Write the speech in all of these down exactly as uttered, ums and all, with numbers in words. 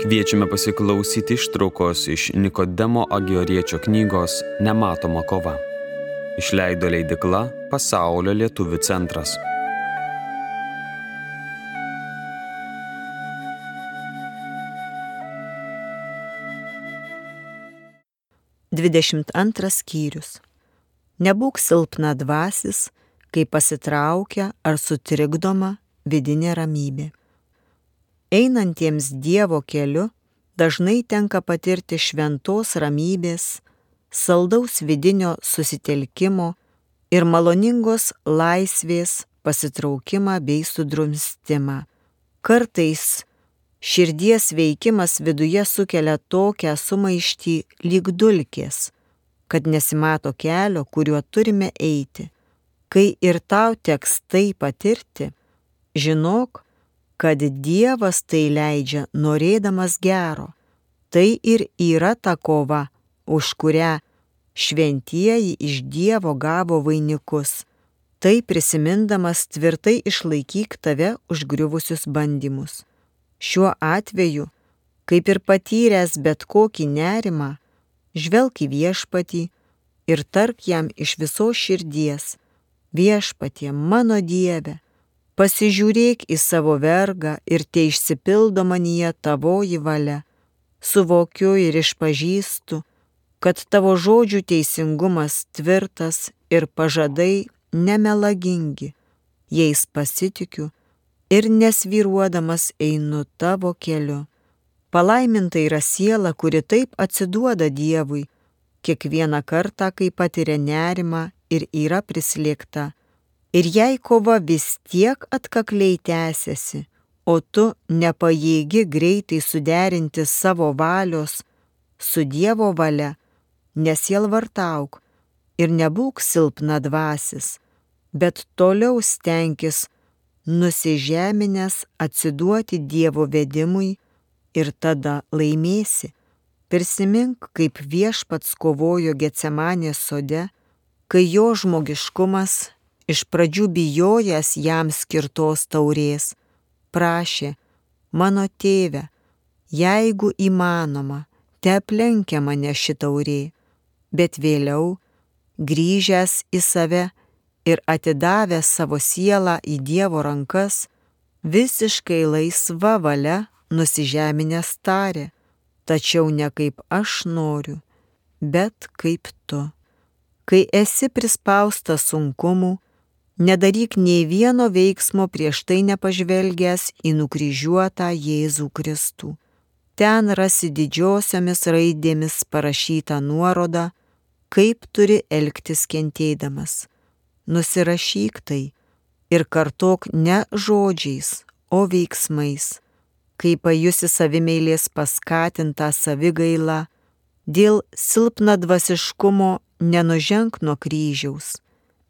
Kviečiame pasiklausyti ištraukos iš Nikodemo Agioriečio knygos Nematoma kova. Išleido leidykla Pasaulio lietuvių centras. Dvidešimt antras skyrius. Nebūk silpna dvasis, kai pasitraukia ar sutrikdoma vidinė ramybė. Einantiems Dievo keliu dažnai tenka patirti šventos ramybės, saldaus vidinio susitelkimo ir maloningos laisvės pasitraukimą bei sudrumstimą. Kartais širdies veikimas viduje sukelia tokią sumaištį lyg dulkės, kad nesimato kelio, kuriuo turime eiti. Kai ir tau teks tai patirti, žinok, kad Dievas tai leidžia norėdamas gero. Tai ir yra ta kova, už kurią šventieji iš Dievo gavo vainikus. Tai prisimindamas tvirtai išlaikyk tave užgriuvusius bandymus. Šiuo atveju, kaip ir patyręs bet kokį nerimą, žvelk į Viešpatį ir tark jam iš visos širdies: Viešpatie, mano Dieve, pasižiūrėk į savo vergą ir teišsipildo manyje tavoji valia. Suvokiu ir išpažįstu, kad tavo žodžių teisingumas tvirtas ir pažadai nemelagingi. Jais pasitikiu ir nesvyruodamas einu tavo keliu. Palaiminta yra siela, kuri taip atsiduoda Dievui kiekvieną kartą, kai patiria nerimą ir yra prislėgta. Ir jei kova vis tiek atkakliai tęsiasi, o tu nepajėgi greitai suderinti savo valios su Dievo valia, nesielvartauk ir nebūk silpna dvasis, bet toliau stenkis nusižeminęs atsiduoti Dievo vedimui ir tada laimėsi. Prisimink, kaip Viešpats kovojo Getsemanės sode, kai jo žmogiškumas iš pradžių bijojęs jam skirtos taurės, prašė: mano tėve, jeigu įmanoma, teaplenkia mane ši taurė, bet vėliau, grįžęs į save ir atidavęs savo sielą į Dievo rankas, visiškai laisva valia nusižeminęs tarė: tačiau ne kaip aš noriu, bet kaip tu. Kai esi prispaustas sunkumų, nedaryk nei vieno veiksmo prieš tai nepažvelgęs į nukryžiuotą Jėzų Kristų. Ten rasi didžiosiomis raidėmis parašytą nuorodą, kaip turi elgtis kentėdamas. Nusirašyk tai ir kartok ne žodžiais, o veiksmais. Kai pajusi savimeilės paskatintą savigailą, dėl silpnadvasiškumo nenuženk nuo kryžiaus,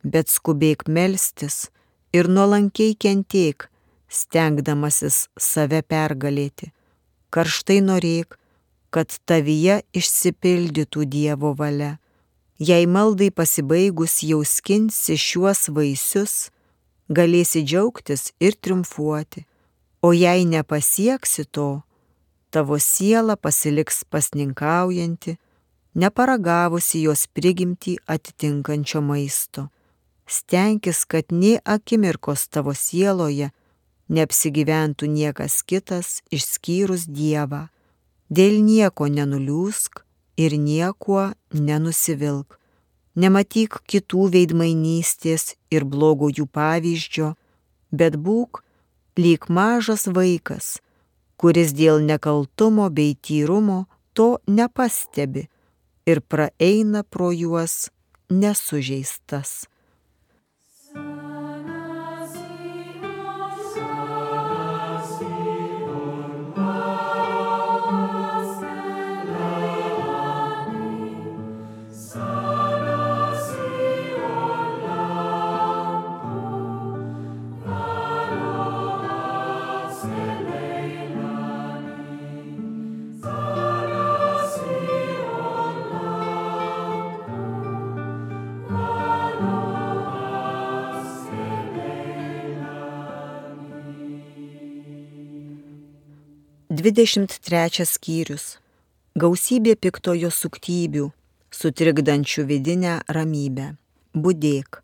bet skubėk melstis ir nuolankiai kentėk, stengdamasis save pergalėti. Karštai norėk, kad tavyje išsipildytų Dievo valia. Jei maldai pasibaigus jau skinsi šiuos vaisius, galėsi džiaugtis ir triumfuoti. O jei nepasieksi to, tavo siela pasiliks pasninkaujanti, neparagavusi jos prigimtį atitinkančio maisto. Stenkis, kad nė akimirkos tavo sieloje neapsigyventų niekas kitas išskyrus Dievą. Dėl nieko nenuliūsk ir niekuo nenusivilk. Nematyk kitų veidmainystės ir blogo jų pavyzdžio, bet būk lyg mažas vaikas, kuris dėl nekaltumo bei tyrumo to nepastebi ir praeina pro juos nesužeistas. Lord. dvidešimt trečias skyrius. Gausybė piktojo suktybių, sutrikdančių vidinę ramybę. Budėk.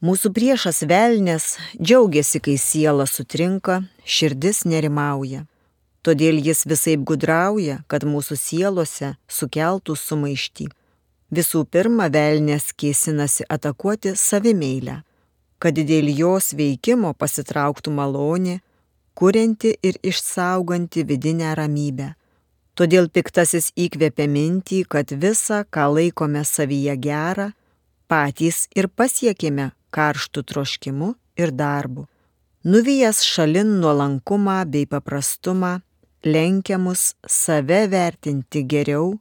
Mūsų priešas velnias džiaugiasi, kai siela sutrinka, širdis nerimauja. Todėl jis visaip gudrauja, kad mūsų sielose sukeltų sumaištį. Visų pirma, velnias kėsinasi atakuoti savimeilę, kad dėl jos veikimo pasitrauktų malonė, kurianti ir išsauganti vidinę ramybę. Todėl piktasis įkvėpia mintį, kad visa, ką laikome savyje gerą, patys ir pasiekėme karštų troškimu ir darbu. Nuvijęs šalin nuolankumą bei paprastumą, lenkia mus save vertinti geriau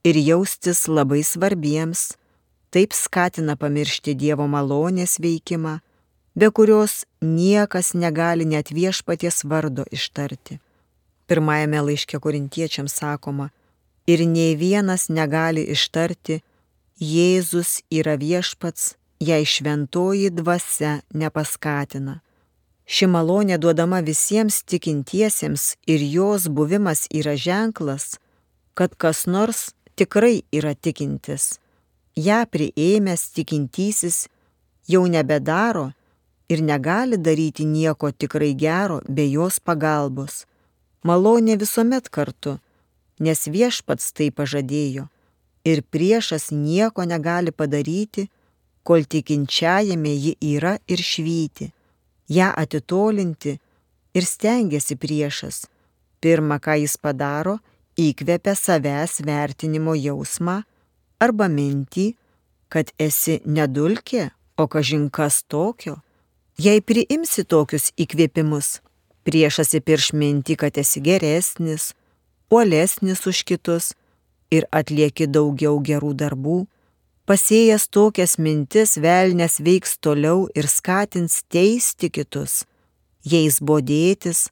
ir jaustis labai svarbiems, taip skatina pamiršti Dievo malonės veikimą, be kurios niekas negali net viešpaties vardo ištarti. Pirmajame laiške Korintiečiams sakoma, ir nei vienas negali ištarti, Jėzus yra viešpats, jei šventoji dvasia nepaskatina. Ši malonė duodama visiems tikintiesiems ir jos buvimas yra ženklas, kad kas nors tikrai yra tikintis. Ja priėmęs tikintysis jau nebedaro ir negali daryti nieko tikrai gero be jos pagalbos. Malonė visuomet kartu, nes viešpats tai pažadėjo, ir priešas nieko negali padaryti, kol tikinčiajame ji yra ir švyti. Ja atitolinti ir stengiasi priešas. Pirma, ką jis padaro, įkvepia savęs vertinimo jausmą arba mintį, kad esi nedulkė, o kažin kas tokio. Jei priimsi tokius įkvėpimus, priešas įpirš mintį, kad esi geresnis, uolesnis už kitus ir atlieki daugiau gerų darbų. Pasėjęs tokias mintis, velnias veiks toliau ir skatins teisti kitus, jais bodėtis,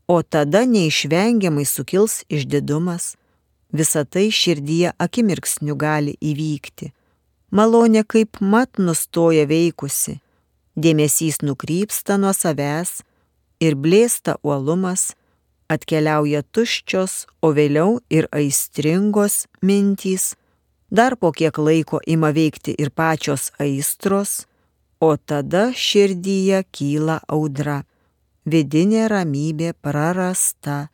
o tada neišvengiamai sukils išdidumas. Visa tai širdyje akimirksniu gali įvykti. Malonė kaip mat nustoja veikusi, dėmesys nukrypsta nuo savęs ir blėsta uolumas, atkeliauja tuščios, o vėliau ir aistringos mintys. Dar po kiek laiko ima veikti ir pačios aistros, o tada širdyje kyla audra. Vidinė ramybė prarasta.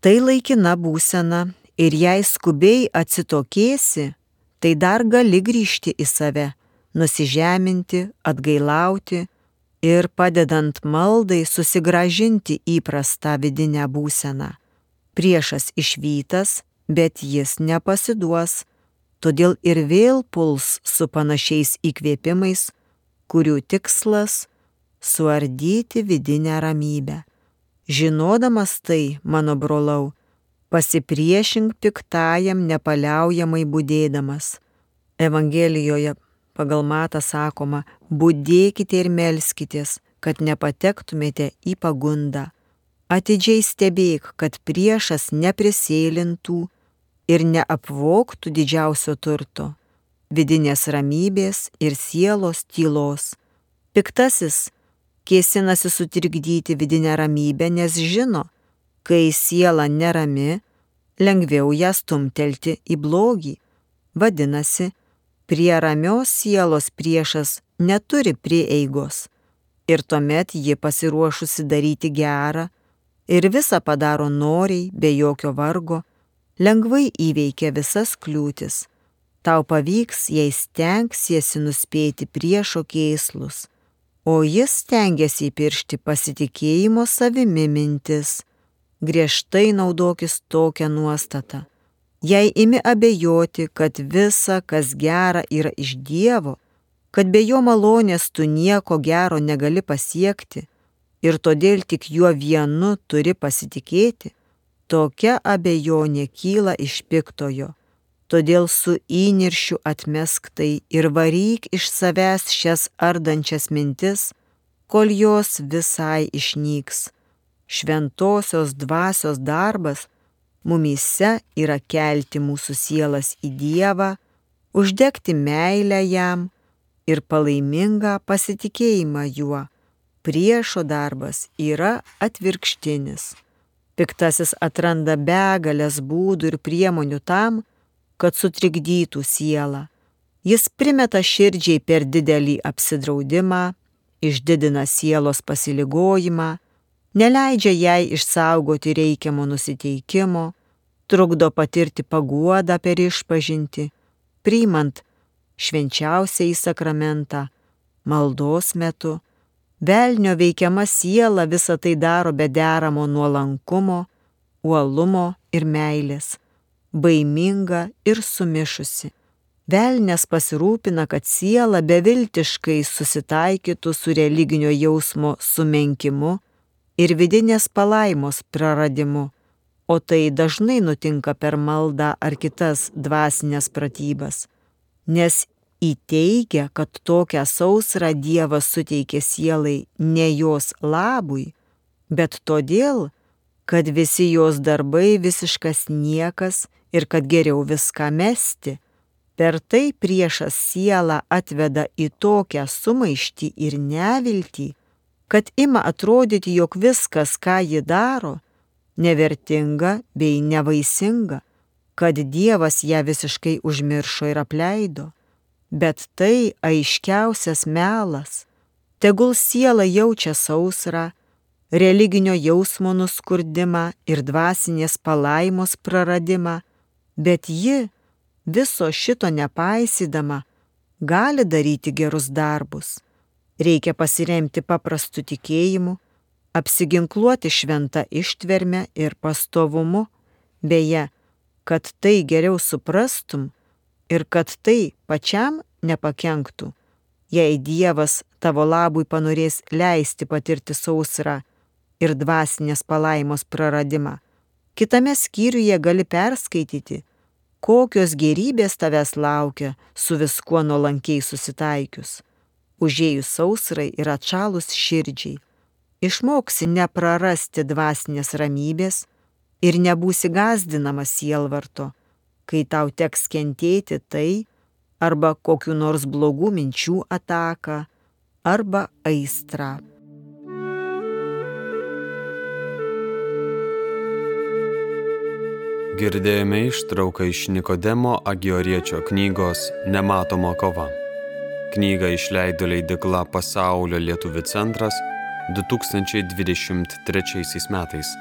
Tai laikina būsena ir jei skubiai atsitokėsi, tai dar gali grįžti į save, nusižeminti, atgailauti ir padedant maldai susigrąžinti įprastą vidinę būseną. Priešas išvytas, bet jis nepasiduos. Todėl ir vėl puls su panašiais įkvėpimais, kurių tikslas – suardyti vidinę ramybę. Žinodamas tai, mano brolau, pasipriešink piktajam nepaliaujamai budėdamas. Evangelijoje pagal Matą sakoma, budėkite ir melskitės, kad nepatektumėte į pagundą. Atidžiai stebėk, kad priešas neprisėlintų ir neapvogtų didžiausio turto, vidinės ramybės ir sielos tylos. Piktasis kėsinasi sutrikdyti vidinę ramybę, nes žino, kai siela nerami, lengviau ją stumtelti į blogį. Vadinasi, prie ramios sielos priešas neturi prieigos ir tuomet ji pasiruošusi daryti gerą ir visą padaro noriai, be jokio vargo, lengvai įveikia visas kliūtis. Tau pavyks, jei stengsiesi nuspėti priešo kėslus, o jis stengiasi įpiršti pasitikėjimo savimi mintis. Griežtai naudokis tokią nuostatą. Jei imi abejoti, kad visa, kas gera, yra iš Dievo, kad be jo malonės tu nieko gero negali pasiekti ir todėl tik juo vienu turi pasitikėti, tokia abejonė kyla iš piktojo. Todėl su įniršiu atmesk tai ir varyk iš savęs šias ardančias mintis, kol jos visai išnyks. Šventosios dvasios darbas mumyse yra kelti mūsų sielas į Dievą, uždegti meilę jam ir palaimingą pasitikėjimą juo. Priešo darbas yra atvirkštinis. Piktasis atranda begalės būdų ir priemonių tam, kad sutrikdytų sielą. Jis primeta širdžiai per didelį apsidraudimą, išdidina sielos pasiligojimą, neleidžia jai išsaugoti reikiamo nusiteikimo, trukdo patirti paguodą per išpažintį, priimant švenčiausiąjį sakramentą, maldos metu. Velnio veikiama siela visą tai daro be deramo nuolankumo, uolumo ir meilės, baiminga ir sumišusi. Velnias pasirūpina, kad siela beviltiškai susitaikytų su religinio jausmo sumenkimu ir vidinės palaimos praradimu, o tai dažnai nutinka per maldą ar kitas dvasinės pratybas, nes įteigia, kad tokią sausrą Dievas suteikė sielai ne jos labui, bet todėl, kad visi jos darbai visiškas niekas ir kad geriau viską mesti. Per tai priešas sielą atveda į tokią sumaištį ir neviltį, kad ima atrodyti, jog viskas, ką ji daro, nevertinga bei nevaisinga, kad Dievas ją visiškai užmiršo ir apleido. Bet tai aiškiausias melas. Tegul siela jaučia sausrą, religinio jausmo nuskurdimą ir dvasinės palaimos praradimą, bet ji, viso šito nepaisydama, gali daryti gerus darbus. Reikia pasiremti paprastu tikėjimu, apsiginkluoti šventą ištverme ir pastovumu, beje, kad tai geriau suprastum ir kad tai pačiam nepakenktų, jei Dievas tavo labui panorės leisti patirti sausrą ir dvasinės palaimos praradimą. Kitame skyriuje gali perskaityti, kokios gėrybės tavęs laukia su viskuo nuolankiai susitaikius, užėjus sausrai ir atšalus širdžiai. Išmoksi neprarasti dvasinės ramybės ir nebūsi gąsdinamas sielvarto, kai tau teks kentėti tai arba kokių nors blogų minčių ataką arba aistrą. Girdėjome ištrauką iš Nikodemo Agioriečio knygos Nematoma kova. Knygą išleido leidykla Pasaulio lietuvių centras du tūkstančiai dvidešimt trečiaisiais metais.